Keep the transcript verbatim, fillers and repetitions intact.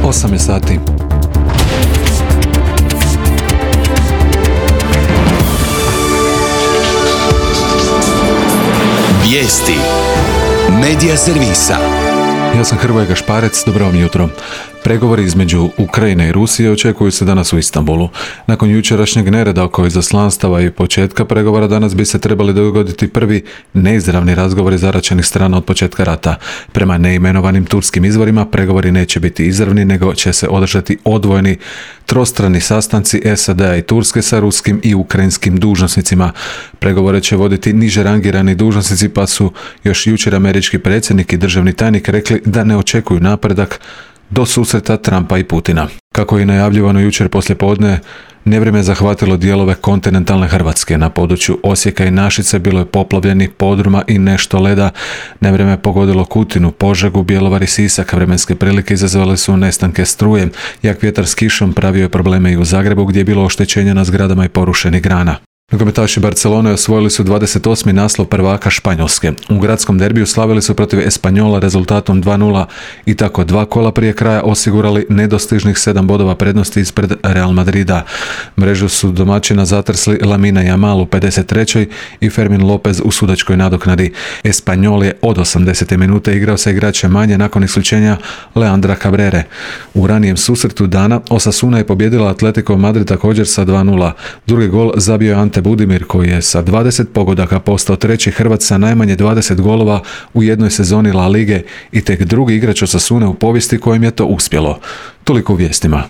osam je sati. Vijesti Medija servisa. Ja sam Hrvoje Gašparec, dobro vam jutro. Pregovori između Ukrajine i Rusije očekuju se danas u Istanbulu. Nakon jučerašnjeg nereda oko izaslanstava i početka pregovora danas bi se trebali dogoditi prvi neizravni razgovori zaraćenih strana od početka rata. Prema neimenovanim turskim izvorima pregovori neće biti izravni, nego će se održati odvojeni trostrani sastanci S A D-a i Turske sa ruskim i ukrajinskim dužnosnicima. Pregovore će voditi niže rangirani dužnosnici, pa su još jučer američki predsjednik i državni tajnik rekli da ne očekuju napredak do susreta Trumpa i Putina. Kako je najavljivano jučer poslijepodne, nevrijeme je zahvatilo dijelove kontinentalne Hrvatske. Na području Osijeka i Našice bilo je poplavljenih podruma i nešto leda. Nevrijeme je pogodilo Kutinu, Požegu, Bjelovar i Sisak. Vremenske prilike izazvale su nestanke struje. Jak vjetar s kišom pravio je probleme i u Zagrebu, gdje je bilo oštećenja na zgradama i porušenih grana. Nogometaši Barcelone osvojili su dvadeset osmi naslov prvaka Španjolske. U gradskom derbiju slavili su protiv Espanjola rezultatom dva nula i tako dva kola prije kraja osigurali nedostižnih sedam bodova prednosti ispred Real Madrida. Mrežu su domaćina zatrsli Lamine Yamal u pedeset trećoj i Fermin Lopez u sudačkoj nadoknadi. Espanjol je od osamdesete minute igrao sa igračem manje nakon isključenja Leandra Cabrere. U ranijem susretu dana Osasuna je pobijedila Atletico Madrid također sa dva nula. Drugi gol zabio je Ante Budimir, koji je sa dvadeset pogodaka postao treći Hrvat sa najmanje dvadeset golova u jednoj sezoni La Lige i tek drugi igrač Osasune u povijesti kojem je to uspjelo. Toliko u vijestima.